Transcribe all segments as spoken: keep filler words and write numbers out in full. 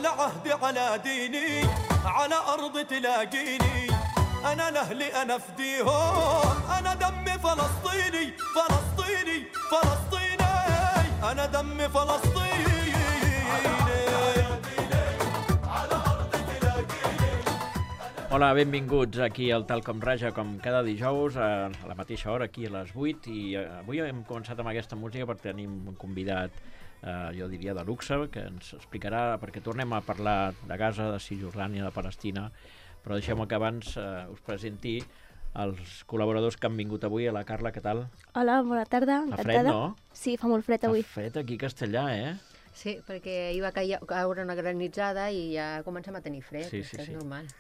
على عهدي على ديني على أرض تلاقيني أنا لأهلي أنا فديهم أنا دمي فلسطيني فلسطيني فلسطيني أنا دمي فلسطيني Hola, benvinguts aquí al Tal Com Raja, com cada dijous, a la mateixa hora, aquí a les vuit, i avui hem començat amb aquesta música perquè tenim un convidat, eh, jo diria, de luxe, que ens explicarà, perquè tornem a parlar de Gaza, de Cisjordània, de Palestina, però deixem que abans eh, us presenti els col·laboradors que han vingut avui. A la Carla, què tal? Hola, bona tarda, encantada. Fa fred, no? Sí, fa molt fred avui. Fa fred aquí a Castellà, eh? Sí, perquè hi va caure una granitzada i ja comencem a tenir fred, sí, sí, que és sí. normal.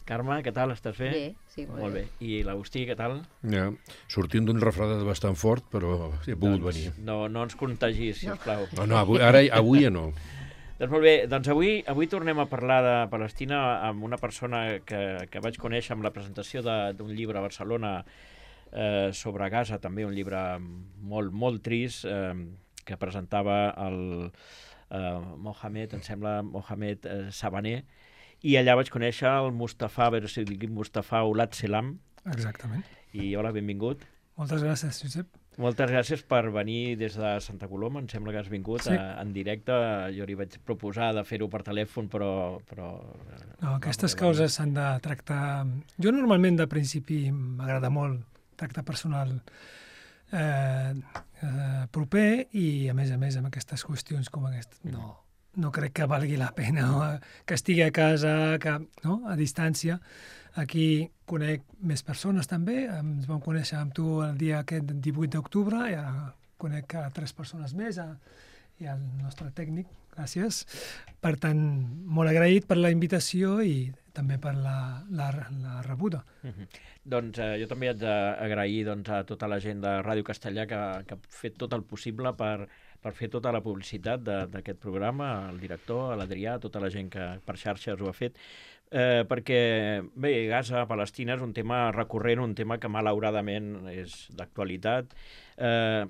Carme, què tal? Estàs bé? Bé, sí, molt, molt bé. bé. I l'Agustí, què tal? Ja, sortint d'un refredat bastant fort, però he pogut doncs, venir. No, no ens contagis, sisplau. No, no, avui, ara, avui ja no. Doncs molt bé, doncs avui, avui tornem a parlar de Palestina amb una persona que, que vaig conèixer amb la presentació d'un llibre a Barcelona eh, sobre Gaza, també un llibre molt, molt trist, eh, que presentava el eh, Mohamed, em sembla, Mohamed eh, Sabaner, i allà vaig conèixer el Mustafa, a veure si dic Mustafa Olat Selam. Exactament. I hola, benvingut. Moltes gràcies, Josep. Moltes gràcies per venir des de Santa Coloma, em sembla que has vingut sí. a, en directe. Jo li vaig proposar de fer-ho per telèfon, però... però no, aquestes no, causes s'han de tractar... Jo normalment de principi m'agrada molt tractar personal eh, eh, proper i a més a més amb aquestes qüestions com aquestes. No, no crec que valgui la pena, no? Que estigui a casa, que, no? A distància. Aquí conec més persones també, ens vam conèixer amb tu el dia aquest divuit d'octubre i ara conec a tres persones més i el nostre tècnic, gràcies. Per tant, molt agraït per la invitació i també per la, la, la rebuda. Mm-hmm. Doncs eh, jo també haig d'agrair doncs, a tota la gent de Ràdio Castellà que, que ha fet tot el possible per, per fer tota la publicitat d'aquest programa, al director, a l'Adrià, tota la gent que per xarxes ho ha fet. Eh, perquè, bé, Gaza, Palestina és un tema recurrent, un tema que malauradament és d'actualitat. Eh,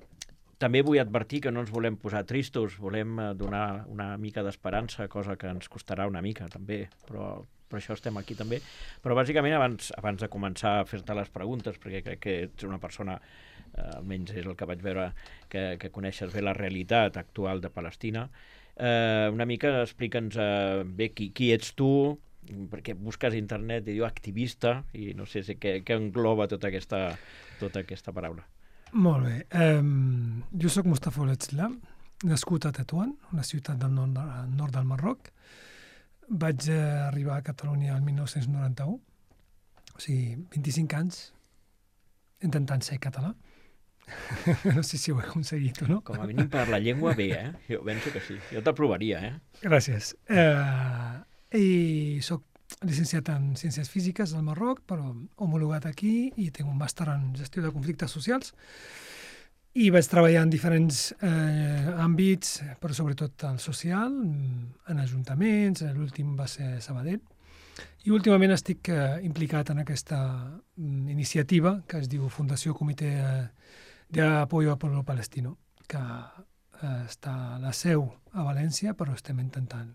també vull advertir que no ens volem posar tristos, volem donar una mica d'esperança, cosa que ens costarà una mica també, però per això estem aquí també. Però bàsicament abans, abans de començar a fer-te les preguntes, perquè crec que ets una persona, eh, almenys és el que vaig veure, que, que coneixes bé la realitat actual de Palestina, eh, una mica explica'ns eh, bé qui, qui ets tu, perquè busques a internet i diu activista i no sé si què, què engloba tota aquesta, tota aquesta paraula. Molt bé. Um, jo sóc Mustafa Olat Selam, nascut a Tetuan, una ciutat del nord, nord del Marroc. Vaig uh, arribar a Catalunya el mil nou-cents noranta-u, o sigui, vint-i-cinc anys, intentant ser català. No sé si ho he aconseguit o no. Com a mínim per la llengua bé, eh? Jo penso que sí. Jo t'aprovaria, eh? Gràcies. Uh, I soc llicenciat en Ciències Físiques al Marroc, però homologat aquí i tinc un màster en Gestió de Conflictes Socials i vaig treballar en diferents eh, àmbits, però sobretot el social, en ajuntaments, l'últim va ser Sabadell, i últimament estic eh, implicat en aquesta mm, iniciativa que es diu Fundació Comitè de Apoyo al Pueblo Palestino, que eh, està a la seu a València, però estem intentant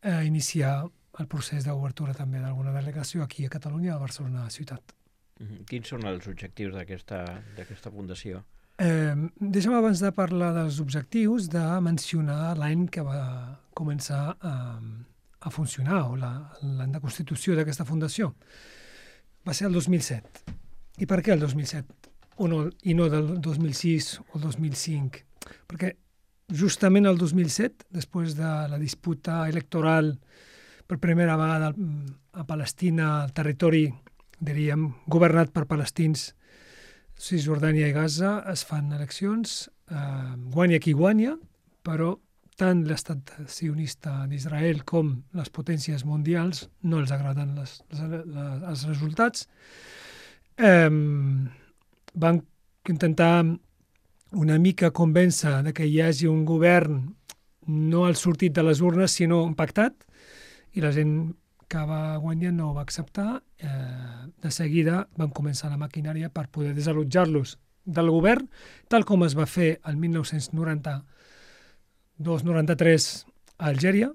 eh, iniciar el procés d'obertura també d'alguna delegació aquí a Catalunya, a Barcelona ciutat. Mm-hmm. Quins són els objectius d'aquesta fundació? Eh, deixa'm abans de parlar dels objectius de mencionar l'any que va començar a, a funcionar, o l'any de constitució d'aquesta fundació. Va ser el dos mil set. I per què el dos mil set? O no, i no del dos mil sis o el dos mil cinc? Perquè justament el dos mil set, després de la disputa electoral per primera vegada a Palestina, el territori, diríem, governat per palestins, Cisjordània i Gaza, es fan eleccions, eh, guanya qui guanya, però tant l'estat sionista d'Israel com les potències mundials no els agraden les, les, les, els resultats. Eh, van intentar una mica convèncer de que hi hagi un govern no al sortit de les urnes, sinó pactat, i la gent que va guanyar no ho va acceptar. Eh, de seguida van començar la maquinària per poder desallotjar-los del govern, tal com es va fer el mil nou-cents noranta-dos noranta-tres a Algèria,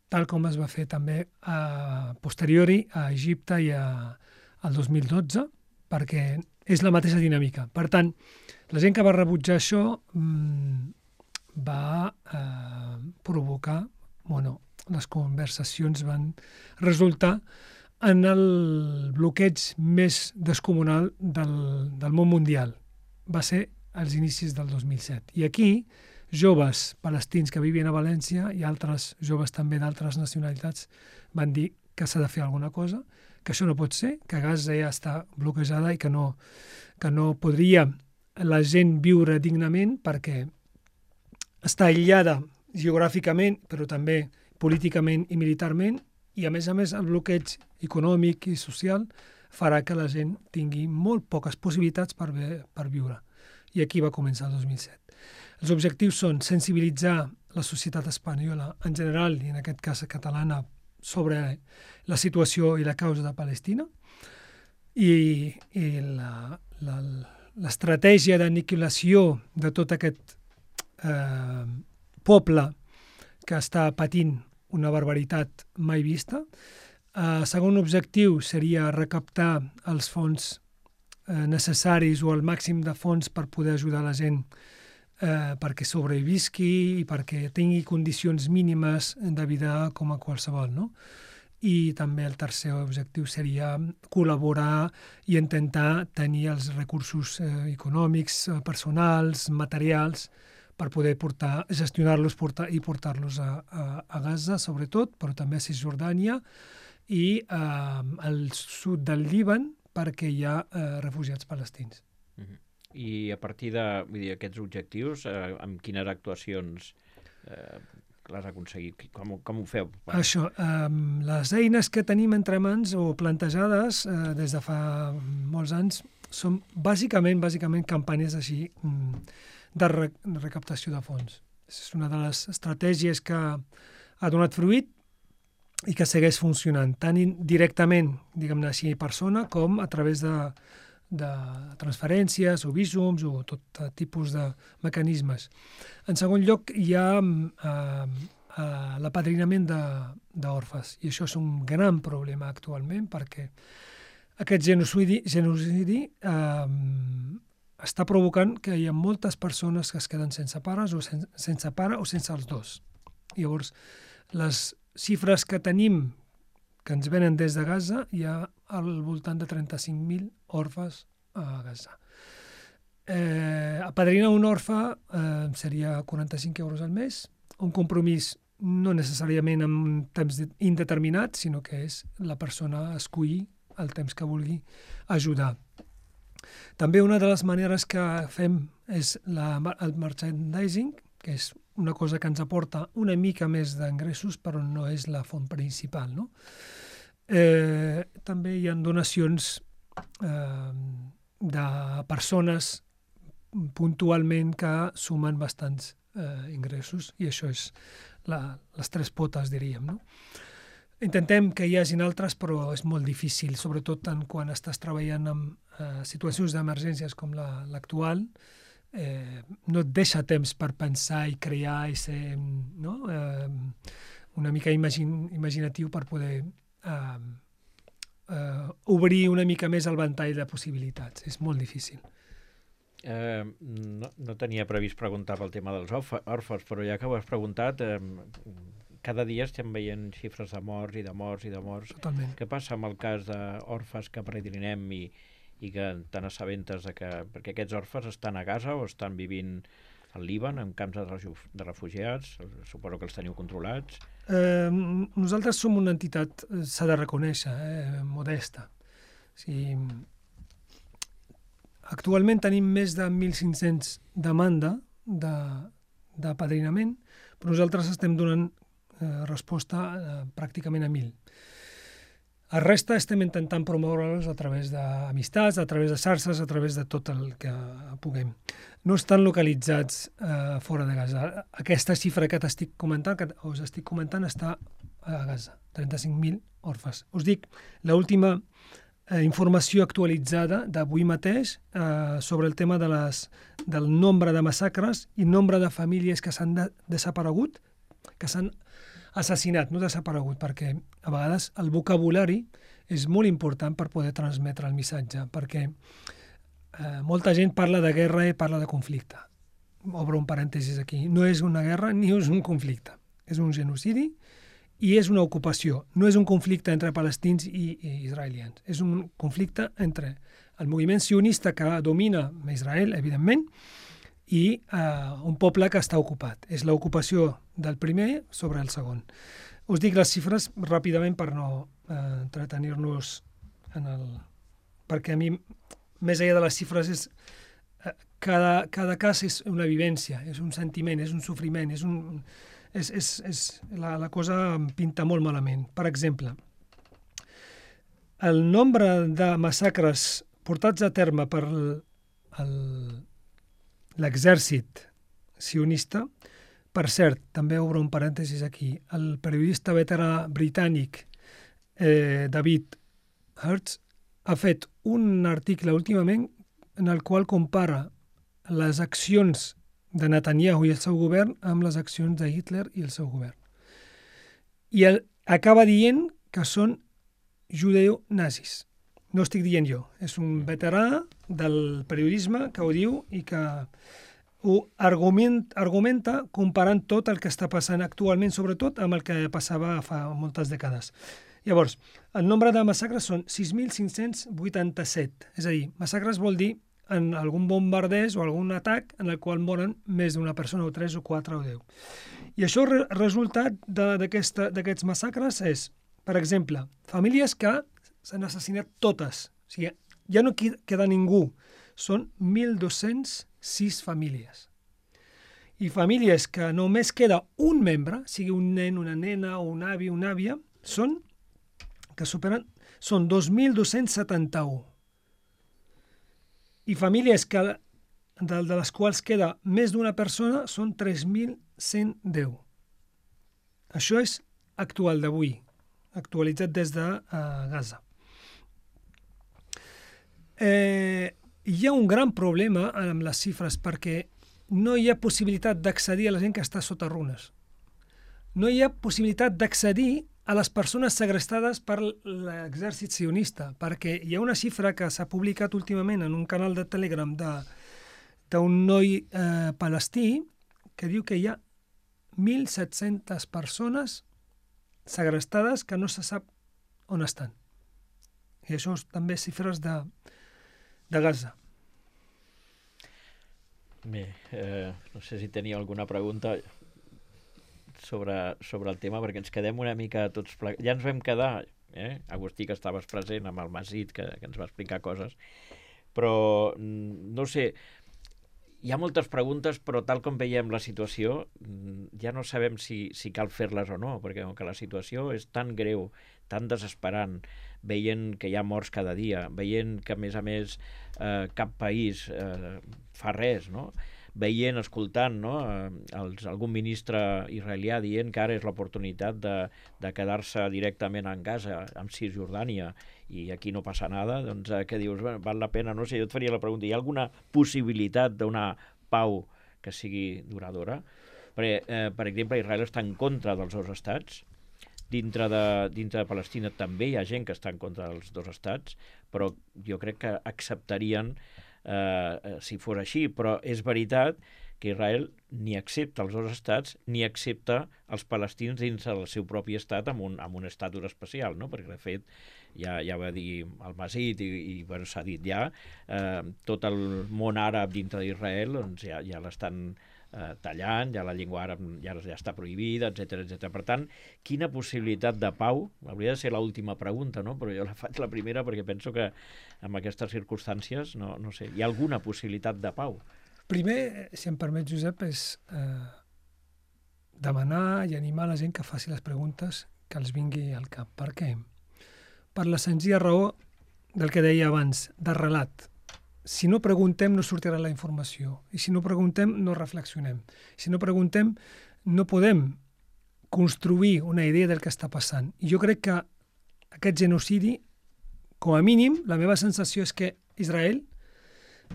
tal com es va fer també a posteriori a Egipte i a, al dos mil dotze, perquè és la mateixa dinàmica. Per tant, la gent que va rebutjar això mmm, va eh, provocar, bueno, les conversacions van resultar en el bloqueig més descomunal del, del món mundial. Va ser als inicis del dos mil set. I aquí, joves palestins que vivien a València i altres joves també d'altres nacionalitats van dir que s'ha de fer alguna cosa, que això no pot ser, que Gaza ja està bloquejada i que no, que no podria la gent viure dignament perquè està aïllada geogràficament, però també políticament i militarment, i a més a més el bloqueig econòmic i social farà que la gent tingui molt poques possibilitats per, per viure. I aquí va començar el dos mil set. Els objectius són sensibilitzar la societat espanyola en general, i en aquest cas catalana, sobre la situació i la causa de Palestina, i, i l'estratègia d'aniquilació de tot aquest eh, poble que està patint una barbaritat mai vista. El eh, segon objectiu seria recaptar els fons eh, necessaris o el màxim de fons per poder ajudar la gent eh, perquè sobrevisqui i perquè tingui condicions mínimes de vida com a qualsevol, no? I també el tercer objectiu seria col·laborar i intentar tenir els recursos eh, econòmics, eh, personals, materials, per poder portar, gestionar-los portar, i portar-los a, a, a Gaza, sobretot, però també a Cisjordània i eh, al sud del Líban, perquè hi ha eh, refugiats palestins. Uh-huh. I a partir de vull dir, aquests objectius, eh, amb quines actuacions eh, les aconseguit? Com, com ho feu? Bueno. Això, eh, les eines que tenim entre mans o plantejades eh, des de fa molts anys són bàsicament, bàsicament campanyes així de, re, de recaptació de fons. És una de les estratègies que ha donat fruit i que segueix funcionant, tant directament, diguem-ne així, persona, com a través de, de transferències o vísums o tot tipus de mecanismes. En segon lloc, hi ha eh, eh, l'apadrinament d'orfes, i això és un gran problema actualment, perquè aquest genocidi, genocidi eh, està provocant que hi ha moltes persones que es queden sense pares o sen, sense pare o sense els dos. Llavors, les xifres que tenim, que ens venen des de Gaza, hi ha al voltant de trenta-cinc mil orfes a Gaza. Eh, apadrinar un orfe eh, seria quaranta-cinc euros al mes, un compromís no necessàriament amb un temps indeterminat, sinó que és la persona escollir el temps que vulgui ajudar. També una de les maneres que fem és la, el merchandising, que és una cosa que ens aporta una mica més d'ingressos, però no és la font principal, no? Eh, també hi ha donacions eh, de persones puntualment que sumen bastants eh, ingressos, i això és la, les tres potes, diríem, no? Intentem que hi hagin altres, però és molt difícil, sobretot en quan estàs treballant en eh, situacions d'emergències com l'actual, la, eh, no et deixa temps per pensar i crear i ser, no? eh, una mica imagin, imaginatiu per poder eh, eh, obrir una mica més el ventall de possibilitats. És molt difícil. Eh, no, no tenia previst preguntar pel tema dels orfes, però ja que ho has preguntat, eh, cada dia estem veient xifres de morts i de morts i de morts. Totalment. Què passa amb el cas d'orfes que peregrinem i, i que te n'assabentes de que... Perquè aquests orfes estan a Gaza o estan vivint al Líban, en camps de, de refugiats? Suposo que els teniu controlats. Eh, nosaltres som una entitat, s'ha de reconèixer, eh, modesta. O sigui, actualment tenim més de mil cinc-cents demanda d'apadrinament, però nosaltres estem donant eh, resposta eh, pràcticament a mil. El resta estem intentant promoure-los a través d'amistats, a través de xarxes, a través de tot el que puguem. No estan localitzats eh, fora de Gaza. Aquesta xifra que t'estic comentant, que us estic comentant, està a Gaza, trenta-cinc mil orfes. Us dic, l'última eh, informació actualitzada d'avui mateix eh, sobre el tema de les, del nombre de massacres i nombre de famílies que s'han de, desaparegut, que s'han assassinat, no desaparegut, perquè a vegades el vocabulari és molt important per poder transmetre el missatge, perquè eh, molta gent parla de guerra i parla de conflicte. Obro un parèntesis aquí. No és una guerra ni és un conflicte. És un genocidi i és una ocupació. No és un conflicte entre palestins i, i israelians. És un conflicte entre el moviment sionista que domina Israel, evidentment, i eh, un poble que està ocupat. És l'ocupació del primer sobre el segon. Us dic les xifres ràpidament per no eh, entretenir-nos en el... perquè a mi, més enllà de les xifres, és, eh, cada, cada cas és una vivència, és un sentiment, és un sofriment, és un... És, és, és, la, la cosa em pinta molt malament. Per exemple, el nombre de massacres portats a terme per l'exèrcit sionista, per cert, també obro un parèntesis aquí, el periodista veterà britànic eh, David Hertz ha fet un article últimament en el qual compara les accions de Netanyahu i el seu govern amb les accions de Hitler i el seu govern. I el, acaba dient que són judeo-nazis. No estic dient jo. És un veterà del periodisme que ho diu i que ho argument, argumenta comparant tot el que està passant actualment, sobretot amb el que passava fa moltes dècades. Llavors, el nombre de massacres són sis mil cinc-cents vuitanta-set. És a dir, massacres vol dir en algun bombardeix o algun atac en el qual moren més d'una persona, o tres, o quatre, o deu. I això, el resultat d'aquests massacres és, per exemple, famílies que s'han assassinat totes. O sigui, ja no queda ningú. Són mil dos-cents sis famílies. I famílies que només queda un membre, sigui un nen, una nena, o un avi, una àvia, són, que superen, són dos mil dos-cents setanta-u. I famílies que, de, de les quals queda més d'una persona són tres mil cent deu. Això és actual d'avui, actualitzat des de uh, Gaza. Eh, hi ha un gran problema amb les xifres perquè no hi ha possibilitat d'accedir a la gent que està sota runes. No hi ha possibilitat d'accedir a les persones segrestades per l'exèrcit sionista, perquè hi ha una xifra que s'ha publicat últimament en un canal de Telegram d'un noi eh, palestí que diu que hi ha mil set-centes persones segrestades que no se sap on estan. I això és també xifres de, de Gaza. Bé, eh, no sé si tenia alguna pregunta sobre, sobre el tema, perquè ens quedem una mica tots plegats. Ja ens vam quedar, eh? Agustí, que estaves present, amb el Masit, que, que ens va explicar coses, però no sé, hi ha moltes preguntes, però tal com veiem la situació, ja no sabem si, si cal fer-les o no, perquè com que la situació és tan greu, tan desesperant, veient que hi ha morts cada dia, veient que, a més a més, eh, cap país eh, fa res, no? Veient, escoltant, no? Els, algun ministre israelià dient que ara és l'oportunitat de, de quedar-se directament en Gaza, amb Cisjordània, i aquí no passa nada, doncs eh, què dius? Bueno, val la pena, no sé, jo et faria la pregunta, hi ha alguna possibilitat d'una pau que sigui duradora? Perquè, eh, per exemple, Israel està en contra dels dos estats, dintre de, dintre de Palestina també hi ha gent que està en contra dels dos estats, però jo crec que acceptarien Uh, si fos així, però és veritat que Israel ni accepta els dos estats ni accepta els palestins dins del seu propi estat amb un, amb un estatus especial, no? Perquè de fet ja, ja va dir el Masit i, i bueno, s'ha dit ja, uh, tot el món àrab dintre d'Israel doncs ja, ja l'estan uh, tallant, ja la llengua àrab ja, ja està prohibida, etcètera, etcètera. Per tant, quina possibilitat de pau? Hauria de ser l'última pregunta, no? Però jo la faig la primera perquè penso que en aquestes circumstàncies, no, no sé, hi ha alguna possibilitat de pau? Primer, si em permet, Josep, és eh, demanar i animar la gent que faci les preguntes que els vingui al cap. Per què? Per la senzilla raó del que deia abans, de relat. Si no preguntem, no sortirà la informació. I si no preguntem, no reflexionem. Si no preguntem, no podem construir una idea del que està passant. I jo crec que aquest genocidi, com a mínim, la meva sensació és que Israel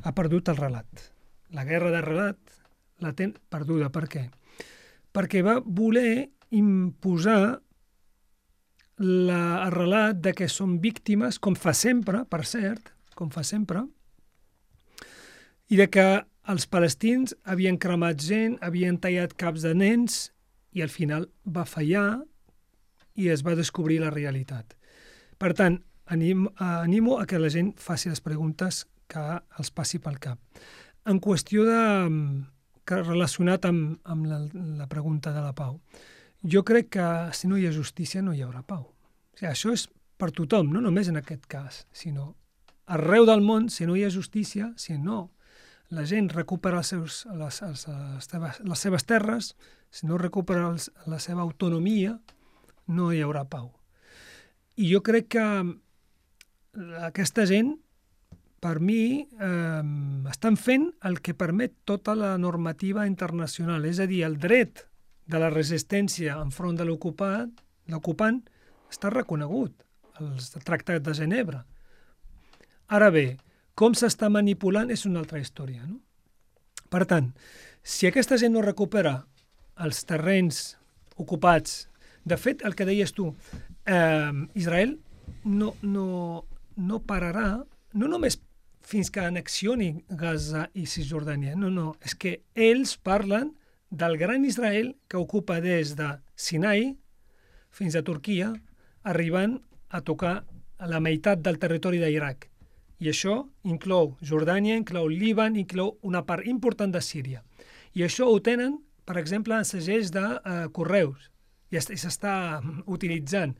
ha perdut el relat. La guerra de relat la té perduda. Per què? Perquè va voler imposar la, el relat de que són víctimes, com fa sempre, per cert, com fa sempre, i de que els palestins havien cremat gent, havien tallat caps de nens, i al final va fallar i es va descobrir la realitat. Per tant, anim, animo a que la gent faci les preguntes que els passi pel cap. En qüestió de, que relacionat amb, amb la, la pregunta de la pau, jo crec que si no hi ha justícia no hi haurà pau. O sigui, això és per tothom, no només en aquest cas, sinó arreu del món, si no hi ha justícia, si no la gent recupera els seus, les, les, les, teves, les seves terres, si no recupera els, la seva autonomia, no hi haurà pau. I jo crec que aquesta gent, per mi, eh, estan fent el que permet tota la normativa internacional, és a dir, el dret de la resistència enfront de l'ocupat, l'ocupant, està reconegut als tractats de Ginebra. Ara bé, com s'està manipulant és una altra història, no? Per tant, si aquesta gent no recupera els terrenys ocupats, de fet, el que deies tu, eh, Israel no, no, no pararà, no només fins que anexioni Gaza i Cisjordània, no, no, és que ells parlen del gran Israel que ocupa des de Sinai fins a Turquia, arribant a tocar la meitat del territori d'Iraq. I això inclou Jordània, inclou Líban, inclou una part important de Síria. I això ho tenen, per exemple, en segells de uh, correus, i s'està utilitzant.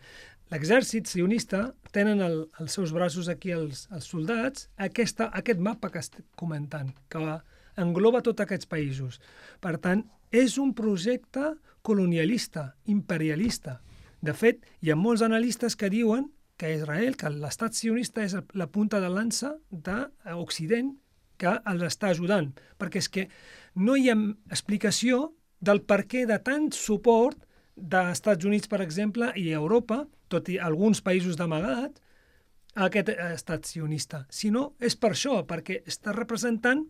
L'exèrcit sionista tenen el, els seus braços aquí, els, els soldats, aquesta, aquest mapa que estic comentant, que engloba tots aquests països. Per tant, és un projecte colonialista, imperialista. De fet, hi ha molts analistes que diuen que Israel, que l'estat sionista és la punta de lança d'Occident que els està ajudant, perquè és que no hi ha explicació del per què de tant suport dels Estats Units, per exemple, i Europa, tot i alguns països d'amagat, a aquest estat sionista, sinó és per això, perquè està representant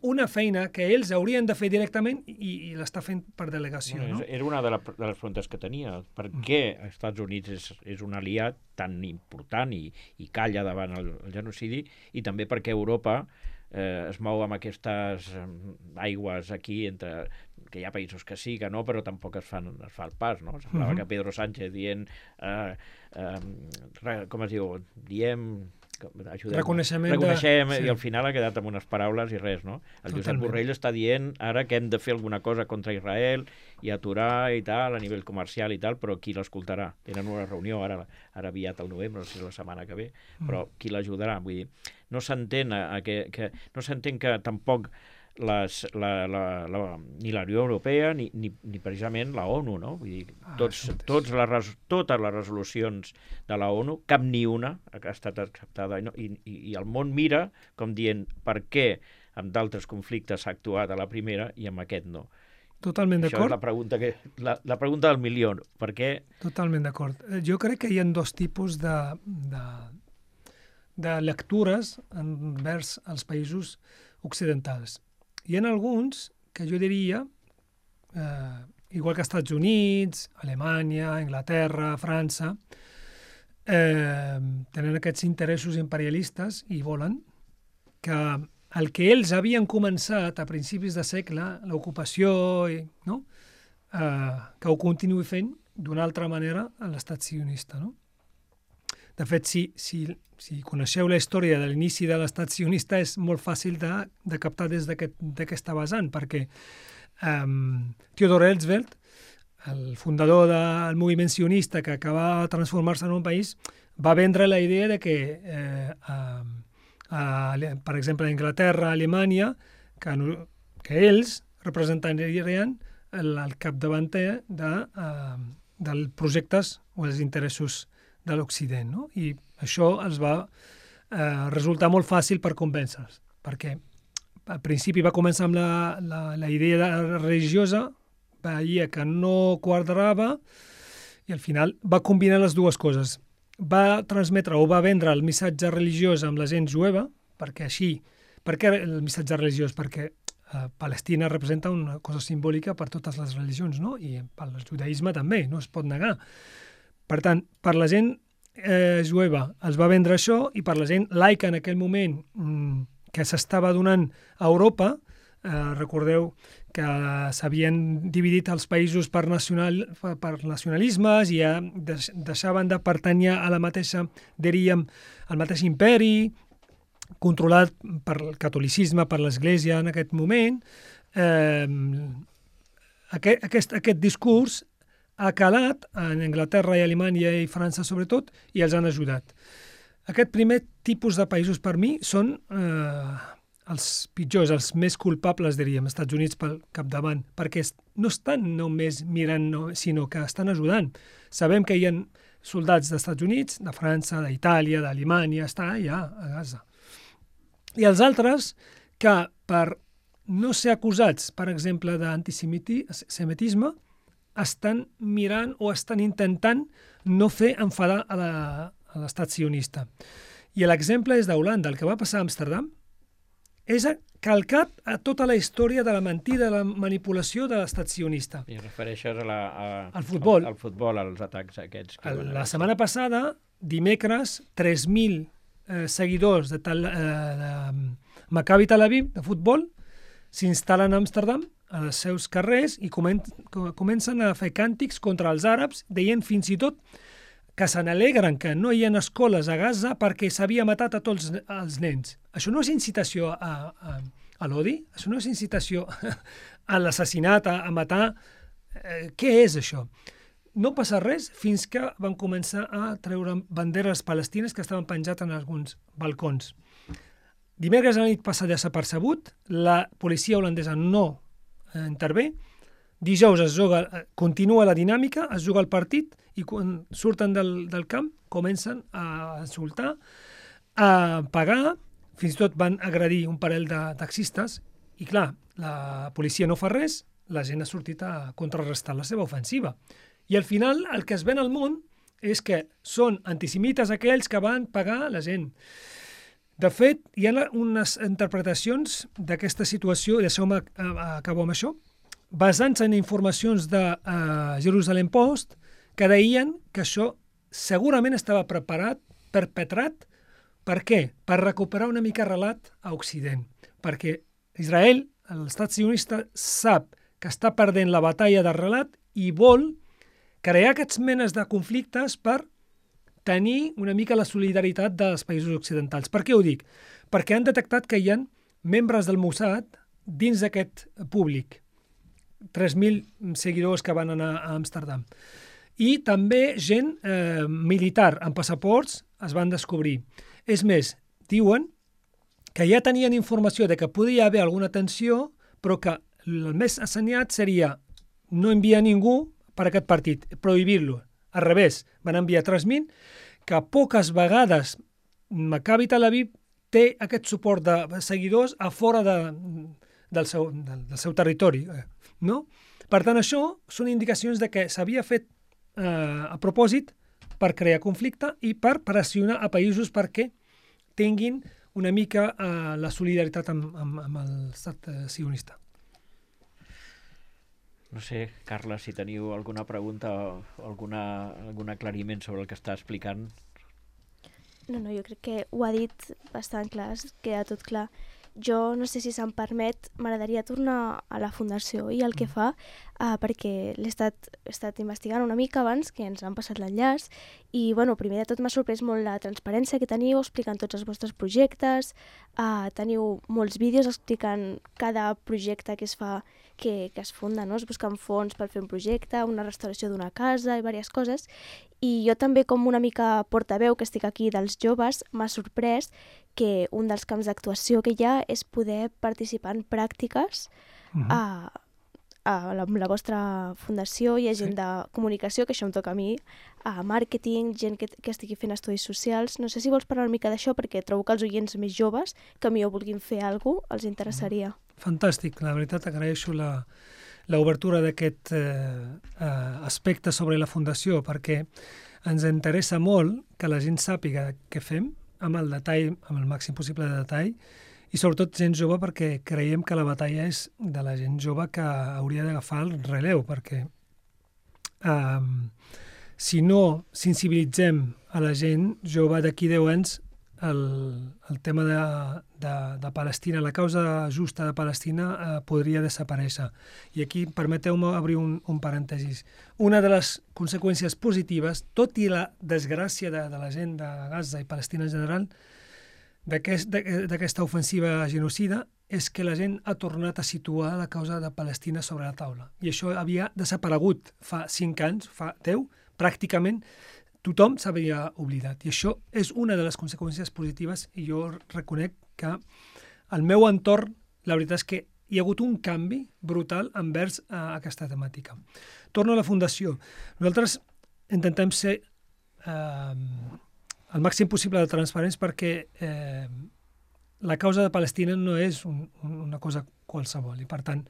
una feina que ells haurien de fer directament i, i l'està fent per delegació. Bueno, no? Era una de, la, de les preguntes que tenia. Per mm. què els Estats Units és, és un aliat tan important i, i calla davant el, el genocidi, i també perquè Europa eh, es mou amb aquestes aigües aquí, entre que hi ha països que sí, que no, però tampoc es, fan, es fa el pas, no? Semblava mm-hmm. que Pedro Sánchez dient, eh, eh, com es diu, diem... Ajudem, reconeixement, reconeixem de... sí. I al final ha quedat amb unes paraules i res, no? El Josep Totalment. Borrell està dient ara que hem de fer alguna cosa contra Israel i aturar i tal, a nivell comercial i tal, però qui l'escoltarà? Tenen una reunió ara, ara aviat al novembre, no sé si la setmana que ve, però mm. qui l'ajudarà? Vull dir, no s'entén que, que, no s'entén que tampoc les, la, la, la, ni la Unió Europea ni, ni, ni precisament la ONU, no? Vull dir, tots, ah, tots les, totes les resolucions de la ONU, cap ni una ha estat acceptada, i, i, i el món mira com dient per què amb d'altres conflictes s'ha actuat a la primera i amb aquest no. Totalment d'acord. Això és la pregunta, que, la, la pregunta del milió. Per què? Totalment d'acord. Jo crec que hi ha dos tipus de, de, de lectures envers els països occidentals. Hi ha alguns que jo diria, eh, igual que Estats Units, Alemanya, Anglaterra, França, eh, tenen aquests interessos imperialistes i volen que el que ells havien començat a principis de segle, l'ocupació, no? eh, que ho continuï fent d'una altra manera a l'estat sionista, no? De fet, si, si, si coneixeu la història de l'inici de l'estat sionista, és molt fàcil de, de captar des d'aquesta aquest, vessant, perquè um, Theodor Herzl, el fundador del moviment sionista que acaba de transformar-se en un país, va vendre la idea de que, eh, a, a, per exemple, a Anglaterra, a Alemanya, que, que ells representarien el, el capdavanter de, uh, dels projectes o els interessos de l'Occident, no? I això els va eh, resultar molt fàcil per convèncer-los, perquè al principi va començar amb la, la, la idea religiosa, veia que no quadrava i al final va combinar les dues coses. Va transmetre o va vendre el missatge religiós amb la gent jueva, perquè així, per què el missatge religiós? Perquè eh, Palestina representa una cosa simbòlica per totes les religions, no? I pel judaïsme també, no es pot negar. Per tant, per la gent eh, jueva els va vendre això i per la gent laica en aquell moment mm, que s'estava donant a Europa, eh, recordeu que s'havien dividit els països per, nacional, per nacionalismes i ja deixaven de pertànyer a la mateixa, diríem, al mateix imperi, controlat per el catolicisme, per l'Església en aquest moment. Eh, aquest, aquest, aquest discurs ha calat en Anglaterra i Alemanya i França sobretot i els han ajudat. Aquest primer tipus de països per mi són eh, els pitjors, els més culpables, diríem, els Estats Units pel capdavant, perquè no estan només mirant, no, sinó que estan ajudant. Sabem que hi ha soldats dels Estats Units, de França, d'Itàlia, d'Alemanya, està allà a Gaza. I els altres que per no ser acusats, per exemple, d'antisemitisme, estan mirant o estan intentant no fer enfadar a la, a l'estat sionista. I l'exemple és d'Holanda. El que va passar a Amsterdam és calcat a tota la història de la mentida, de la manipulació de l'estat sionista. I refereixes a la, a, al futbol. Al, al futbol, als atacs aquests. Que el, la setmana passada, dimecres, tres mil eh, seguidors de, tal, eh, de Maccabi Tel Aviv, de futbol, s'instal·len a Amsterdam, als seus carrers, i comen comencen a fer càntics contra els àrabs, deien fins i tot que se n'alegren que no hi ha escoles a Gaza perquè s'havia matat a tots els nens. Això no és incitació a, a, a l'odi? Això no és incitació a l'assassinat, a, a matar? Eh, què és això? No passa res fins que van començar a treure banderes palestines que estaven penjats en alguns balcons. Dimecres a la nit passa desapercebut, la policia holandesa no eh, intervé. Dijous es juga, continua la dinàmica, es juga el partit i quan surten del, del camp comencen a insultar, a pagar, fins i tot van agredir un parell de taxistes i clar, la policia no fa res, la gent ha sortit a contrarrestar la seva ofensiva. I al final el que es ven al món és que són antisemites aquells que van pagar la gent. De fet, hi ha unes interpretacions d'aquesta situació, i deixeu-me acabar amb això, basant-se en informacions de uh, Jerusalem Post, que deien que això segurament estava preparat, perpetrat, per què? Per recuperar una mica relat a Occident. Perquè Israel, l'estat sionista, sap que està perdent la batalla de relat i vol crear aquests menes de conflictes per tenir una mica la solidaritat dels països occidentals. Per què ho dic? Perquè han detectat que hi ha membres del Mossad dins d'aquest públic. tres mil seguidors que van anar a Amsterdam. I també gent eh, militar amb passaports es van descobrir. És més, diuen que ja tenien informació de que podia haver alguna tensió, però que el més assenyat seria no enviar ningú per aquest partit, prohibir-lo. Al revés, van enviar tres mil, que poques vegades Maccabi Tel Aviv té aquest suport de seguidors a fora de, del, seu, del, del seu territori. No? Per tant, això són indicacions de que s'havia fet eh, a propòsit per crear conflicte i per pressionar a països perquè tinguin una mica eh, la solidaritat amb, amb, amb l'estat eh, sionista. No sé, Carla, si teniu alguna pregunta o alguna, algun aclariment sobre el que està explicant. No, no, jo crec que ho ha dit bastant clar, queda tot clar. Jo no sé si se'm permet, m'agradaria tornar a la Fundació i el que fa, uh, perquè l'he estat, he estat investigant una mica abans, que ens han passat l'enllaç, i bueno, primer de tot m'ha sorprès molt la transparència que teniu explicant tots els vostres projectes, uh, teniu molts vídeos explicant cada projecte que es fa, que, que es funda, no? Es busquen fons per fer un projecte, una restauració d'una casa i diverses coses, i jo també com una mica portaveu que estic aquí dels joves m'ha sorprès que un dels camps d'actuació que hi ha és poder participar en pràctiques uh-huh. a, a la, la vostra fundació. Hi ha gent sí. de comunicació, que això em toca a mi, a màrqueting, gent que, que estigui fent estudis socials. No sé si vols parlar una mica d'això, perquè trobo que els oients més joves que millor vulguin fer alguna cosa els interessaria. Fantàstic, la veritat agraeixo la, l'obertura d'aquest eh, eh, aspecte sobre la fundació, perquè ens interessa molt que la gent sàpiga què fem, amb el detall, amb el màxim possible de detall, i sobretot gent jove, perquè creiem que la batalla és de la gent jove que hauria d'agafar el relleu, perquè eh, si no sensibilitzem a la gent jove d'aquí deu anys, el, el tema de, de, de Palestina, la causa justa de Palestina eh, podria desaparèixer. I aquí permeteu-me obrir un, un parèntesis. Una de les conseqüències positives, tot i la desgràcia de, de la gent de Gaza i Palestina en general, d'aquesta aquest, ofensiva genocida, és que la gent ha tornat a situar la causa de Palestina sobre la taula. I això havia desaparegut fa cinc anys, fa deu, pràcticament tothom s'havia oblidat. I això és una de les conseqüències positives, i jo reconec que al meu entorn, la veritat és que hi ha hagut un canvi brutal envers uh, aquesta temàtica. Torno a la Fundació. Nosaltres intentem ser eh, el màxim possible de transparents perquè eh, la causa de Palestina no és un, un, una cosa qualsevol. I, per tant,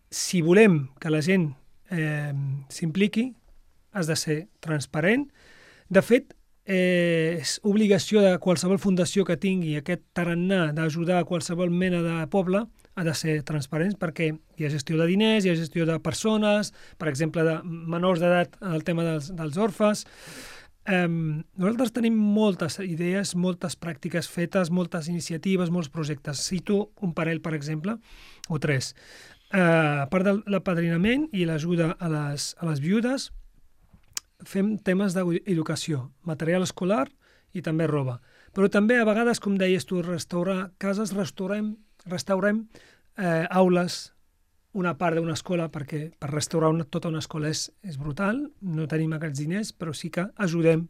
si volem que la gent eh, s'impliqui, has de ser transparent. De fet, eh, és obligació de qualsevol fundació que tingui aquest tarannà d'ajudar a qualsevol mena de poble, ha de ser transparent perquè hi ha gestió de diners, hi ha gestió de persones, per exemple, de menors d'edat en el tema dels, dels orfes. Eh, nosaltres tenim moltes idees, moltes pràctiques fetes, moltes iniciatives, molts projectes. Cito un parell, per exemple, o tres. Eh, a part de l'apadrinament i l'ajuda a les, a les viudes, fem temes d'educació, material escolar i també roba. Però també, a vegades, com deies tu, restaurar cases, restaurem, restaurem eh, aules, una part d'una escola, perquè per restaurar una, tota una escola és, és brutal, no tenim aquests diners, però sí que ajudem.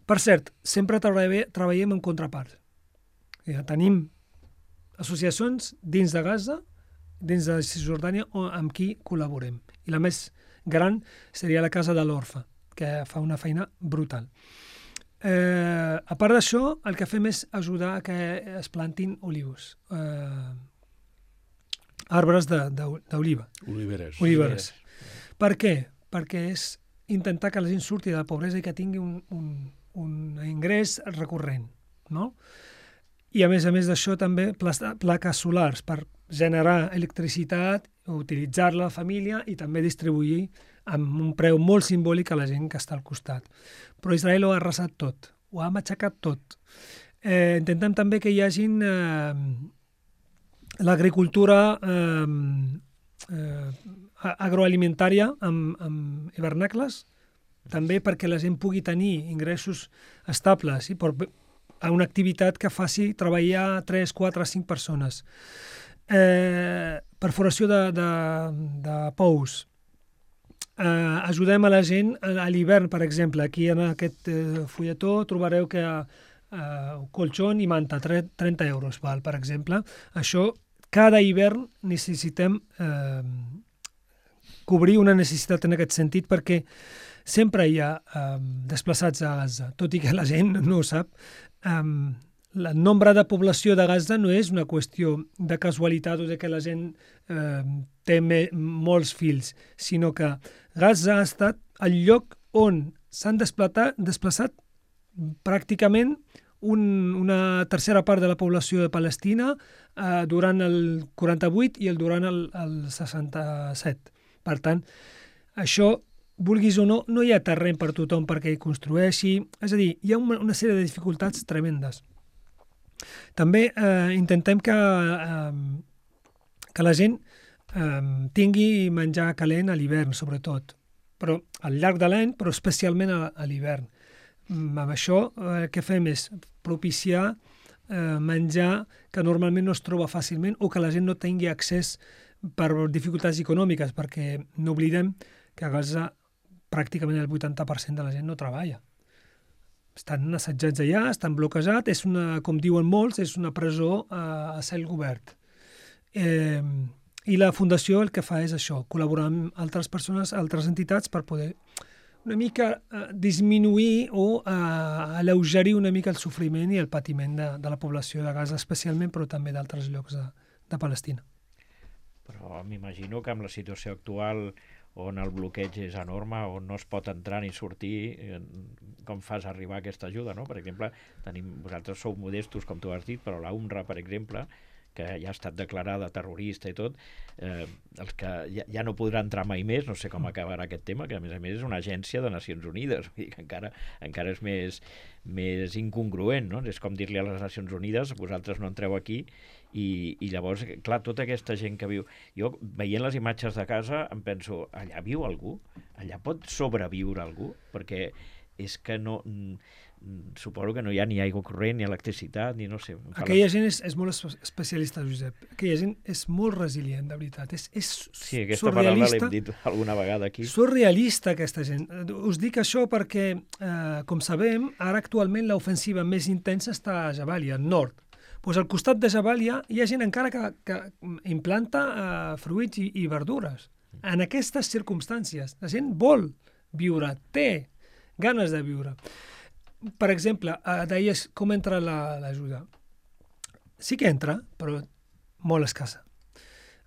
Per cert, sempre treballem, treballem en contrapart. Ja tenim associacions dins de Gaza, dins de Cisjordània, amb qui col·laborem. I la més gran seria la Casa de l'Orfe, que fa una feina brutal. Eh, a part d'això, el que fem és ajudar a que es plantin olius, eh, arbres d'oliva. Oliveres. Oliveres. Per què? Perquè és intentar que la gent surti de la pobresa i que tingui un, un, un ingrés recurrent, no? I a més a més d'això també plaques solars per generar electricitat, utilitzar-la a la família i també distribuir amb un preu molt simbòlic a la gent que està al costat. Però Israel ho ha arrasat tot, ho ha matxacat tot. Eh, intentem també que hi hagin eh, l'agricultura eh, eh, agroalimentària amb, amb hivernacles, també perquè la gent pugui tenir ingressos estables i per, a una activitat que faci treballar tres, quatre, cinc persones. Eh, perforació de, de, de pous. Eh, ajudem a la gent a l'hivern, per exemple. Aquí en aquest eh, fulletó trobareu que eh, colxon i manta, trenta euros, val, per exemple. Això, cada hivern necessitem eh, cobrir una necessitat en aquest sentit perquè sempre hi ha eh, desplaçats a Gaza, tot i que la gent no ho sap. Eh, el nombre de població de Gaza no és una qüestió de casualitat o de que la gent eh, té me, molts fills, sinó que Gaza ha estat el lloc on s'han desplaçat, desplaçat pràcticament un, una tercera part de la població de Palestina eh, durant el quaranta-vuit i el durant el, el seixanta-set. Per tant, això, vulguis o no, no hi ha terreny per tothom perquè hi construeixi. És a dir, hi ha una, una sèrie de dificultats tremendes. També eh, intentem que, eh, que la gent eh, tingui menjar calent a l'hivern, sobretot, però al llarg de l'any, però especialment a, a l'hivern. Amb això eh, el que fem és propiciar eh, menjar que normalment no es troba fàcilment o que la gent no tingui accés per dificultats econòmiques, perquè no oblidem que a Gaza pràcticament el vuitanta per cent de la gent no treballa. Estan assetjats allà, estan bloquejats, és una, com diuen molts, és una presó a, a cel obert. Eh, I la Fundació el que fa és això, col·laborar amb altres persones, altres entitats, per poder una mica eh, disminuir o eh, alleugerir una mica el sofriment i el patiment de, de la població de Gaza, especialment, però també d'altres llocs de, de Palestina. Però m'imagino que amb la situació actual on el bloqueig és enorme, on no es pot entrar ni sortir, eh, com fas arribar aquesta ajuda, no? Per exemple, tenim, vosaltres sou modestos, com tu has dit, però la U N R W A, per exemple, que ja ha estat declarada terrorista i tot, eh, els que ja, ja no podrà entrar mai més, no sé com acabarà aquest tema, que a més a més és una agència de Nacions Unides, vull dir que encara, encara és més, més incongruent, no? És com dir-li a les Nacions Unides, vosaltres no entreu aquí, i, i llavors, clar, tota aquesta gent que viu... Jo, veient les imatges de casa, em penso, allà viu algú? Allà pot sobreviure algú? Perquè és que no... Suposo que no hi ha ni aigua corrent, ni electricitat, ni no sé... Aquella gent és, és molt especialista, Josep. Aquella gent és molt resilient, de veritat. És, és sí, aquesta paraula l'hem dit alguna vegada aquí. Surrealista, aquesta gent. Us dic això perquè, eh, com sabem, ara actualment l'ofensiva més intensa està a Jabalia, al nord. Pues al costat de Jabalia hi ha gent encara que, que implanta eh, fruits i, i verdures. En aquestes circumstàncies, la gent vol viure, té ganes de viure. Per exemple, eh, deies com entra l'ajuda. Sí que entra, però molt escassa.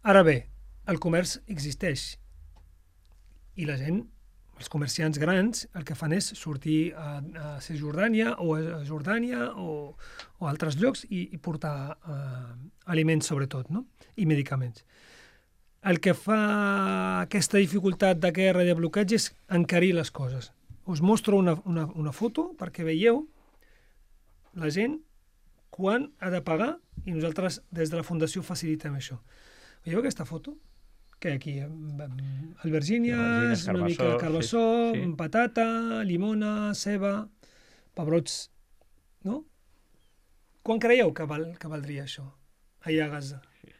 Ara bé, el comerç existeix i la gent, els comerciants grans, el que fan és sortir a, a Cisjordània o a Jordània o, o a altres llocs i, i portar eh, aliments sobretot, no? I medicaments. El que fa aquesta dificultat de guerra i de bloqueig és encarir les coses. Us mostro una, una, una foto perquè veieu la gent quan ha de pagar i nosaltres des de la Fundació facilitem això. Veieu aquesta foto? Que aquí, albergínies, una mica de carbassó, sí, sí. Patata, limona, ceba, pebrots, no? Quan creieu que, val, que valdria això, allà a Gaza? Sí.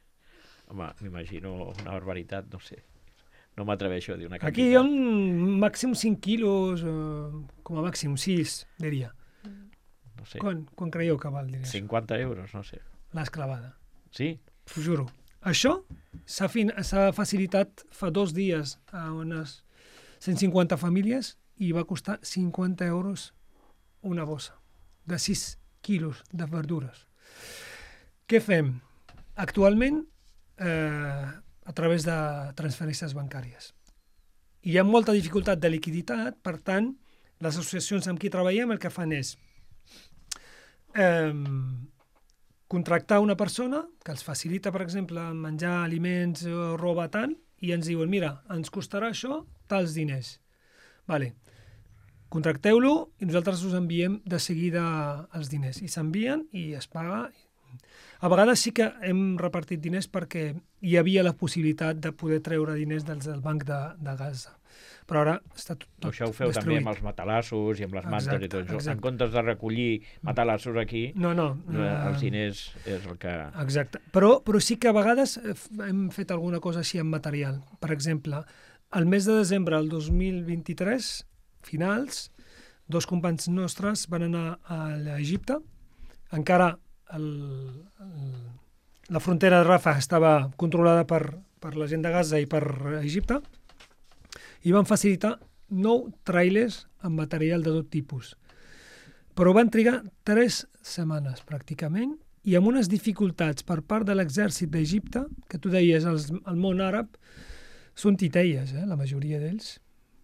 Home, m'imagino una barbaritat, no sé. No m'atreveixo a dir una quantitat. Aquí hi ha un màxim cinc quilos, eh, com a màxim sis, diria. No sé. Quan, quan creieu que val, diria cinquanta euros, no sé. L'esclavada. Sí? Us juro. Això s'ha facilitat fa dos dies a unes cent cinquanta famílies i va costar cinquanta euros una bossa de sis quilos de verdures. Què fem? Actualment, eh, a través de transferències bancàries. Hi ha molta dificultat de liquiditat, per tant, les associacions amb qui treballem el que fan és eh, contractar una persona que els facilita, per exemple, menjar, aliments o roba tant, i ens diuen, mira, ens costarà això tals diners. Vale. Contracteu-lo i nosaltres us enviem de seguida els diners. I s'envien i es paga. A vegades sí que hem repartit diners perquè hi havia la possibilitat de poder treure diners del, del banc de, de Gaza. Però ara està tot, tot això ho feu destruït. També amb els matalassos i amb les mantes exacte, i tot això. En comptes de recollir matalassos aquí, no, no, eh, els diners és el que... Exacte. Però, però sí que a vegades hem fet alguna cosa així amb material. Per exemple, al mes de desembre del dos mil vint-i-tres, finals, dos companys nostres van anar a l'Egipte. Encara el, el, la frontera de Rafah estava controlada per, per la gent de Gaza i per Egipte, i van facilitar nou trailers amb material de tot tipus. Però van trigar tres setmanes, pràcticament, i amb unes dificultats per part de l'exèrcit d'Egipte, que tu deies, els, el món àrab, són titelles, eh, la majoria d'ells.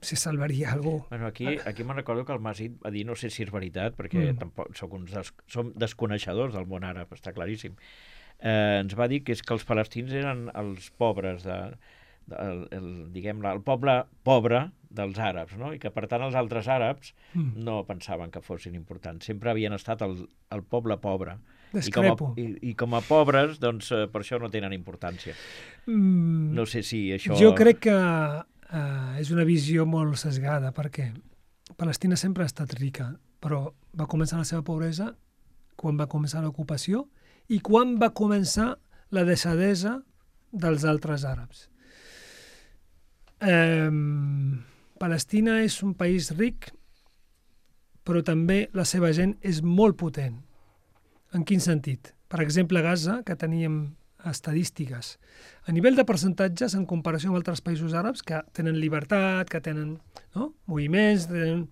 Si salvaria algú. Bueno, aquí, aquí me'n recordo que el Masit va dir, no sé si és veritat, perquè mm. tampoc soc uns des, som desconeixedors del món àrab, està claríssim. Eh, ens va dir que és que els palestins eren els pobres de... El, el, diguem el poble pobre dels àrabs, no? I que per tant els altres àrabs mm. no pensaven que fossin importants, sempre havien estat el, el poble pobre. I com, a, i, i com a pobres, doncs eh, per això no tenen importància. Mm. No sé si això... Jo crec que eh, és una visió molt sesgada, perquè Palestina sempre ha estat rica, però va començar la seva pobresa quan va començar l'ocupació i quan va començar la deixadesa dels altres àrabs. Eh, Palestina és un país ric, però també la seva gent és molt potent. En quin sentit? Per exemple, a Gaza, que teníem estadístiques, a nivell de percentatges, en comparació amb altres països àrabs que tenen llibertat, que tenen no? moviments, tenen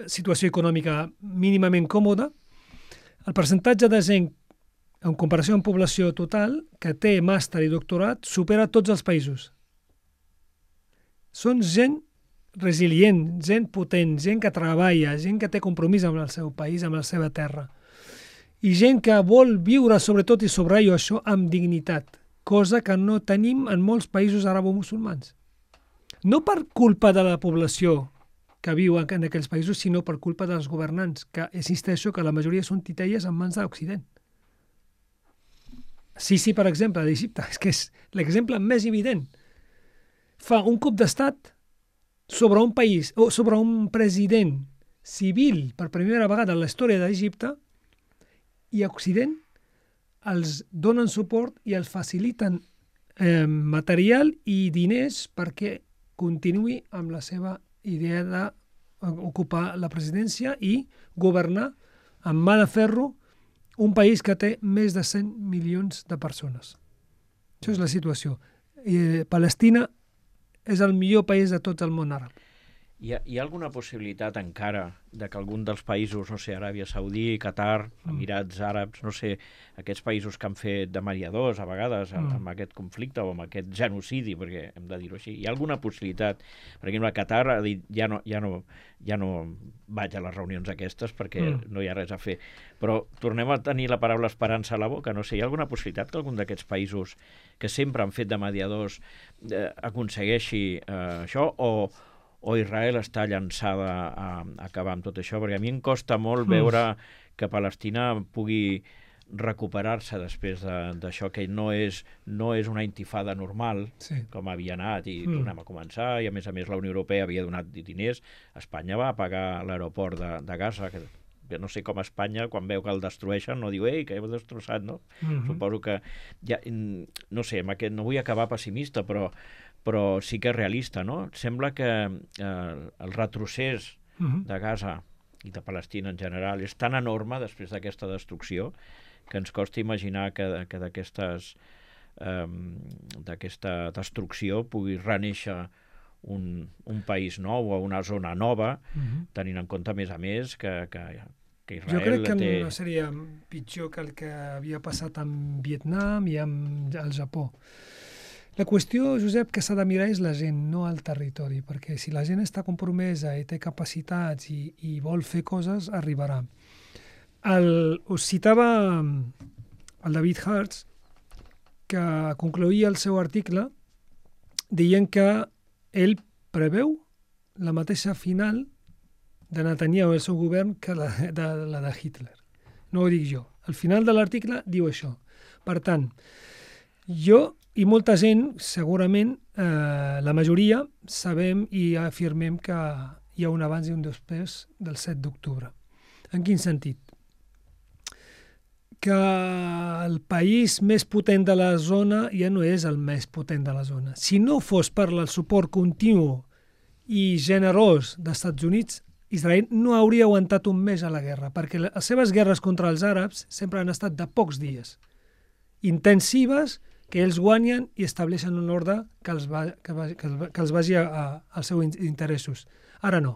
situació econòmica mínimament còmoda, el percentatge de gent, en comparació amb població total, que té màster i doctorat, supera tots els països. són gent resilient, gent potent, gent que treballa, gent que té compromís amb el seu país, amb la seva terra. I gent que vol viure, sobretot, i subratllo això, amb dignitat, cosa que no tenim en molts països arabo-musulmans. No per culpa de la població que viu en aquells països, sinó per culpa dels governants, que insisteixo que la majoria són titelles en mans de l'Occident. Sisi, per exemple, d'Egipte, és que és l'exemple més evident. Fa un cop d'estat sobre un país, o sobre un president civil per primera vegada en la història d'Egipte, i a Occident els donen suport i els faciliten eh, material i diners perquè continuï amb la seva idea d'ocupar la presidència i governar amb mà de ferro un país que té més de cent milions de persones. Això és la situació. Eh, Palestina és el millor país de tot el món àrab. Hi ha, hi ha alguna possibilitat encara de que algun dels països, no sé, Aràbia Saudí, Qatar, Emirats Àrabs, no sé, aquests països que han fet de mediadors a vegades amb, amb aquest conflicte o amb aquest genocidi, perquè hem de dir-ho així, hi ha alguna possibilitat? Per exemple, Qatar ha dit ja no, ja no, ja no vaig a les reunions aquestes perquè mm. no hi ha res a fer. Però tornem a tenir la paraula esperança a la boca, no sé, hi ha alguna possibilitat que algun d'aquests països que sempre han fet de mediadors eh, aconsegueixi eh, això o o Israel està llançada a, a acabar amb tot això? Perquè a mi em costa molt veure que Palestina pugui recuperar-se després d'això, que no és, no és una intifada normal, sí. com havia anat, i mm. tornem a començar, i a més a més la Unió Europea havia donat diners. Espanya va pagar l'aeroport de, de Gaza, que, que no sé com Espanya, quan veu que el destrueixen, no diu, ei, que heu destrossat, no? Mm-hmm. Suposo que, ja, no sé, amb aquest, no vull acabar pessimista, però però sí que és realista, no? Sembla que eh, el retrocés uh-huh. de Gaza i de Palestina en general és tan enorme després d'aquesta destrucció que ens costa imaginar que, que d'aquestes eh, d'aquesta destrucció pugui renéixer un, un país nou o una zona nova, uh-huh. tenint en compte, a més a més, que, que, que Israel jo crec que té... no seria pitjor que el que havia passat amb Vietnam i amb el Japó. La qüestió, Josep, que s'ha de mirar és la gent, no el territori, perquè si la gent està compromesa i té capacitats i, i vol fer coses, arribarà. El, us citava el David Hertz, que concloïa el seu article dient que ell preveu la mateixa final de Netanyahu i el seu govern que la de, la de Hitler. No ho dic jo. Al final de l'article diu això. Per tant, jo i molta gent, segurament, eh, la majoria, sabem i afirmem que hi ha un abans i un després del set d'octubre. En quin sentit? Que el país més potent de la zona ja no és el més potent de la zona. Si no fos per el suport continu i generós dels Estats Units, Israel no hauria aguantat un mes a la guerra, perquè les seves guerres contra els àrabs sempre han estat de pocs dies, intensives, que ells guanyen i estableixen un ordre que els, va, que va, que els, que els vagi a, a, als seus interessos. Ara no.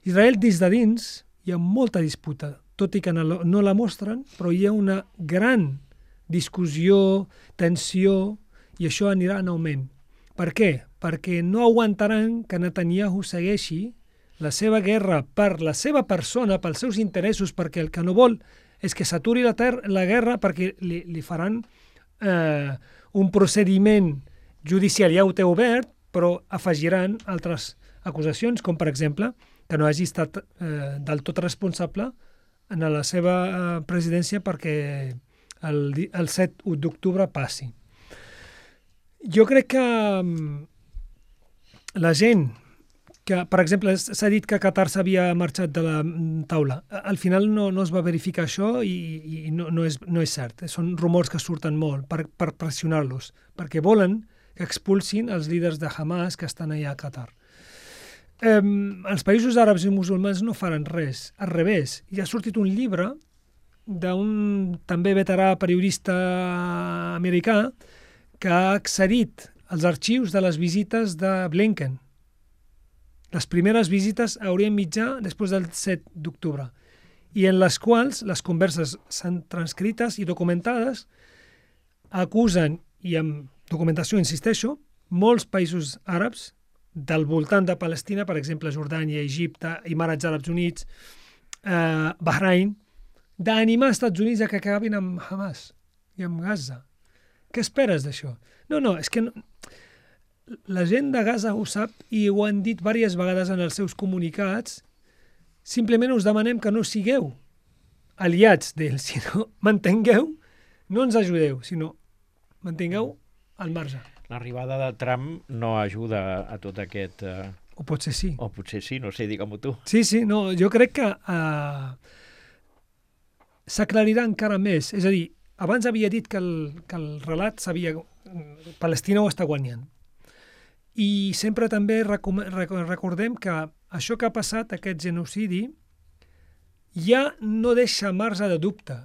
Israel, des de dins, hi ha molta disputa, tot i que no, no la mostren, però hi ha una gran discussió, tensió, i això anirà en augment. Per què? Perquè no aguantaran que Netanyahu segueixi la seva guerra per la seva persona, pels seus interessos, perquè el que no vol és que s'aturi la, la guerra perquè li, li faran Eh, un procediment judicial ja ho té obert, però afegiran altres acusacions, com per exemple que no hagi estat eh, del tot responsable en la seva eh, presidència perquè el, el set d'octubre passi. Jo crec que um, la gent que, per exemple, s'ha dit que Qatar s'havia marxat de la taula. Al final no, no es va verificar això i, i no, no, és, no és cert. Són rumors que surten molt per, per pressionar-los, perquè volen que expulsin els líders de Hamas que estan allà a Qatar. Eh, els països àrabs i musulmans no faran res, al revés. Hi ha sortit un llibre d'un també veterà periodista americà que ha accedit als arxius de les visites de Blinken. Les primeres visites a Orient Mitjà després del set d'octubre, i en les quals les converses s'han transcrites i documentades, acusen, i amb documentació insisteixo, molts països àrabs del voltant de Palestina, per exemple, Jordània, Egipte, Emirats Àrabs Units, eh, Bahrain, d'animar els Estats Units a que acabin amb Hamas i amb Gaza. Què esperes d'això? No, no, és que no... la gent de Gaza ho sap i ho han dit diverses vegades en els seus comunicats. Simplement us demanem que no sigueu aliats d'ells, sinó mantingueu, no ens ajudeu, sinó mantingueu al marge. L'arribada de Trump no ajuda a tot aquest... Eh... O potser sí. O potser sí, no sé, digue-m'ho tu. Sí, sí, no, jo crec que uh, s'aclarirà encara més. És a dir, abans havia dit que el, que el relat s'havia... Palestina ho està guanyant. I sempre també recordem que això que ha passat, aquest genocidi, ja no deixa marge de dubte.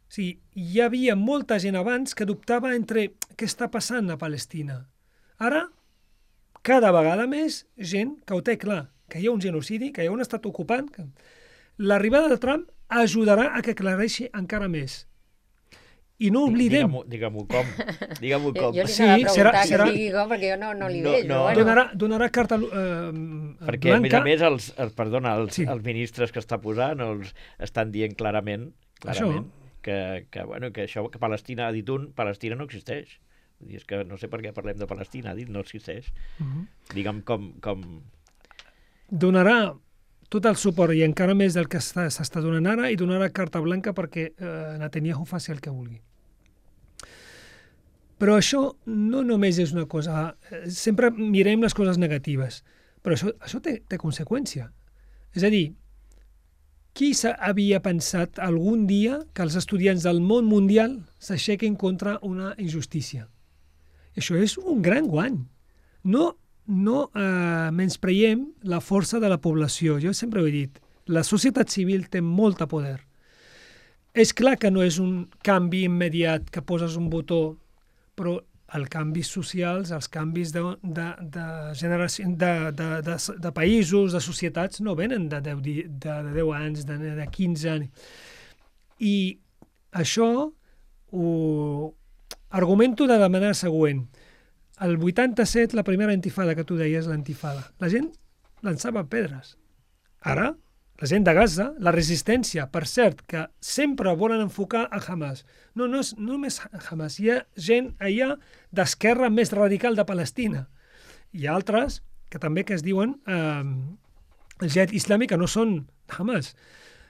O sigui, hi havia molta gent abans que dubtava entre què està passant a Palestina. Ara, cada vegada més gent que ho té clar, que hi ha un genocidi, que hi ha un estat ocupant. Que... L'arribada de Trump ajudarà a que aclareixi encara més. I no oblidem... Digue-m'ho digue com. Digue-m'ho com. Jo li Sí, anava a serà- preguntar serà- que digui com, perquè jo no, no li No, veig. no. Bueno. Donarà, donarà carta eh, Perquè, blanca. a més a més, els, els, perdona, els, Sí. els ministres que està posant els estan dient clarament, clarament que, que, bueno, que això que Palestina, ha dit un, Palestina no existeix. Vull dir, és que no sé per què parlem de Palestina, ha dit no existeix. Uh -huh. Digue'm com... com... Donarà tot el suport i encara més del que està- s'està donant ara i donarà carta blanca perquè eh, Netanyahu faci el que vulgui. Però això no només és una cosa... eh, Sempre mirem les coses negatives, però això, això té, té conseqüència. És a dir, qui havia pensat algun dia que els estudiants del món mundial s'aixequin contra una injustícia? Això és un gran guany. No, no eh, menyspreiem la força de la població. Jo sempre ho he dit. La societat civil té molt de poder. És clar que no és un canvi immediat que poses un botó, però els canvis socials, els canvis de, de, de, generació, de, de, de, de països, de societats, no venen de deu, de, de deu anys, de, de quinze anys. I això ho argumento de la manera següent. El vuitanta-set, la primera intifada que tu deies, l'antifada, la gent llançava pedres. Ara, la gent de Gaza, la resistència, per cert, que sempre volen enfocar a Hamas. No, no és no només Hamas, hi ha gent allà d'esquerra més radical de Palestina. Hi ha altres que també que es diuen eh, el jihad islàmic, que no són Hamas.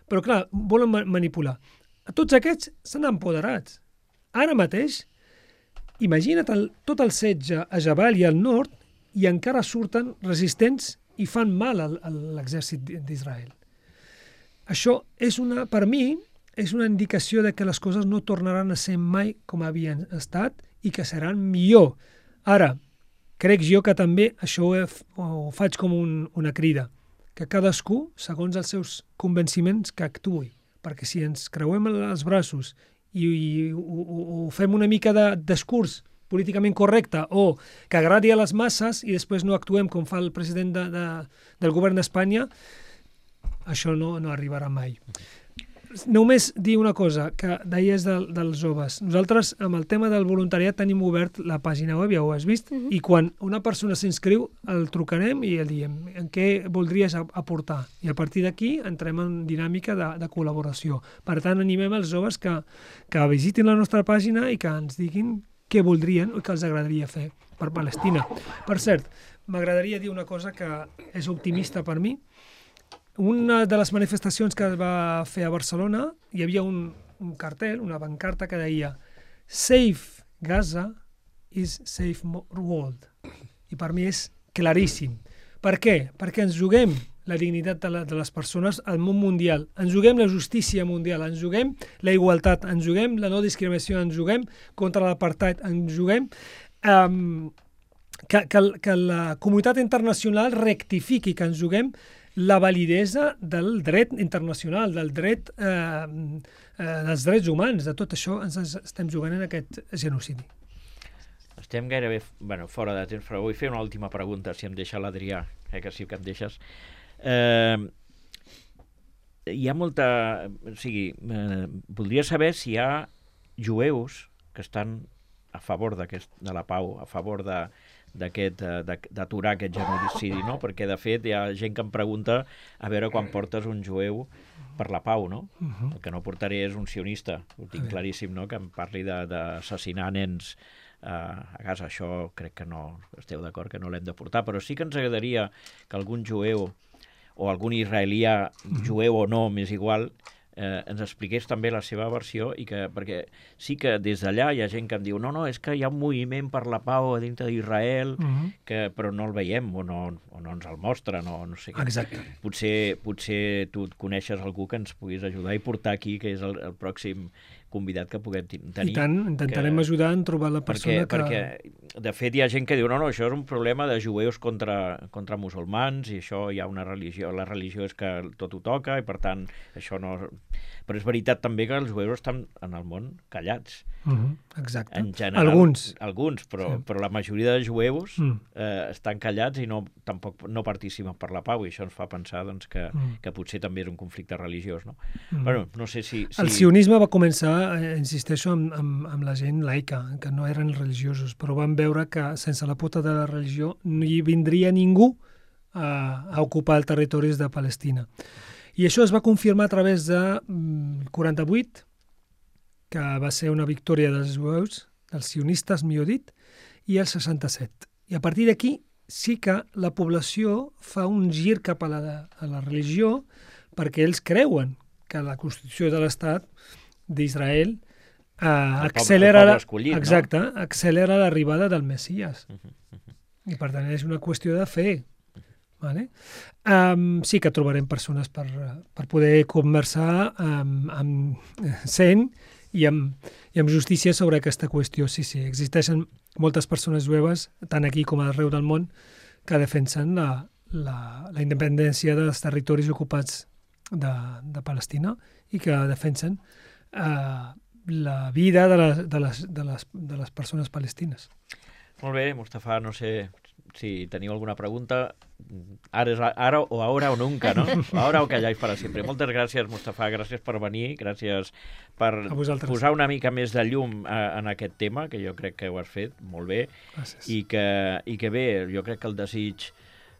Però clar, volen ma manipular. Tots aquests s'han empoderats. Ara mateix, imagina't el, tot el setge a Jabal i al nord i encara surten resistents i fan mal a l'exèrcit d'Israel. Això és una, per mi, és una indicació de que les coses no tornaran a ser mai com havien estat i que seran millor. Ara, crec jo que també això ho, he, ho faig com un, una crida, que cadascú, segons els seus convenciments, que actuï. Perquè si ens creuem els braços i, i ho, ho fem una mica de discurs políticament correcte o que agradi a les masses i després no actuem com fa el president de, de, del govern d'Espanya, això no, no arribarà mai. Només dir una cosa, que deies de, dels joves. Nosaltres, amb el tema del voluntariat, tenim obert la pàgina web, ja ho has vist, uh-huh. I quan una persona s'inscriu, el trucarem i el diem en què voldries aportar. I a partir d'aquí entrem en dinàmica de, de col·laboració. Per tant, animem els joves que, que visitin la nostra pàgina i que ens diguin què voldrien o què els agradaria fer per Palestina. Per cert, m'agradaria dir una cosa que és optimista per mi. Una de les manifestacions que es va fer a Barcelona hi havia un, un cartell, una bancarta que deia Save Gaza is Save World. I per mi és claríssim. Per què? Perquè ens juguem la dignitat de, la, de les persones al món mundial, ens juguem la justícia mundial, ens juguem la igualtat, ens juguem la no discriminació, ens juguem contra l'apartheid, ens juguem um, que, que, que la comunitat internacional rectifiqui, que ens juguem la validesa del dret internacional, del dret, eh, eh, dels drets humans, de tot això ens estem jugant en aquest genocidi. Estem gairebé bueno, fora de temps, però vull fer una última pregunta, si em deixa l'Adrià, eh, que sí que em deixes. Eh, hi ha molta... O sigui, eh, voldria saber si hi ha jueus que estan a favor de la pau, a favor de, d'aquest, d'aturar aquest genocidi, no? Perquè, de fet, hi ha gent que em pregunta a veure quan portes un jueu per la pau, no? Uh -huh. El que no portaré és un sionista, ho tinc claríssim, no? Que em parli d'assassinar nens uh, a Gaza. Això crec que no, esteu d'acord que no l'hem de portar, però sí que ens agradaria que algun jueu o algun israelià, jueu o no, m'és igual, eh, ens expliqués també la seva versió, i que, perquè sí que des d'allà hi ha gent que em diu no, no, és que hi ha un moviment per la pau a dintre d'Israel, uh-huh. que però no el veiem o no, o no ens el mostren, o no sé què. Exacte. Potser, potser tu coneixes algú que ens puguis ajudar i portar aquí, que és el, el pròxim convidat que puguem tenir. I tant, intentarem que... ajudar en trobar la persona perquè, que... Perquè, de fet, hi ha gent que diu no, no, això és un problema de jueus contra, contra musulmans, i això hi ha una religió, la religió és que tot ho toca, i per tant, això no... Però és veritat també que els jueus estan en el món callats. Uh-huh, exacte. En general, alguns. Alguns, però, sí. però la majoria de jueus mm. eh, estan callats i no, tampoc no participen per la pau, i això ens fa pensar doncs, que, mm. que potser també és un conflicte religiós, no? Mm. Bueno, no sé si... si... El sionisme va començar, eh, insisteixo, amb, amb, amb la gent laica, que no eren religiosos, però van veure que sense la pota de la religió no hi vindria ningú a, a ocupar els territoris de Palestina. I això es va confirmar a través de mm, quaranta-vuit, que va ser una victòria dels jueus, dels sionistes, millor dit, i el seixanta-set. I a partir d'aquí sí que la població fa un gir cap a la, a la religió, perquè ells creuen que la Constitució de l'Estat d'Israel eh, accelera, poble escollit, exacte, no? accelera l'arribada del Messies. Uh -huh, uh -huh. I per tant és una qüestió de fe. Vale? Um, sí que trobarem persones per, per poder conversar um, amb cent i amb, i amb justícia sobre aquesta qüestió. Sí, sí, existeixen moltes persones jueves, tant aquí com arreu del món, que defensen la, la, la independència dels territoris ocupats de, de Palestina i que defensen uh, la vida de les, de, les, de, les, de les persones palestines. Molt bé, Mustafa, no sé si teniu alguna pregunta. Ara, és, ara o ahora o nunca, no? Ahora o calláis para siempre. Moltes gràcies, Mustafa, gràcies per venir, gràcies per posar una mica més de llum a, en aquest tema, que jo crec que ho has fet molt bé. Gràcies. I que, i que bé, jo crec que el desig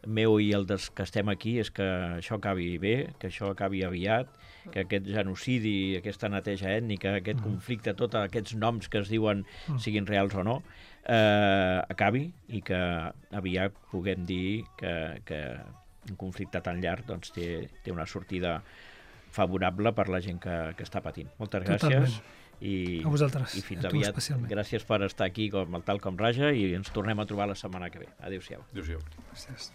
meu i el dels que estem aquí és que això acabi bé, que això acabi aviat, que aquest genocidi, aquesta neteja ètnica, aquest mm. conflicte, tots aquests noms que es diuen mm. siguin reals o no, eh, acabi, i que aviat puguem dir que, que un conflicte tan llarg doncs, té, té una sortida favorable per la gent que, que està patint. Moltes gràcies. Totalment. I, a vosaltres, i fins a tu aviat. especialment. Gràcies per estar aquí com el Tal com Raja, i ens tornem a trobar la setmana que ve. Adéu-siau. Adéu-siau. Gràcies.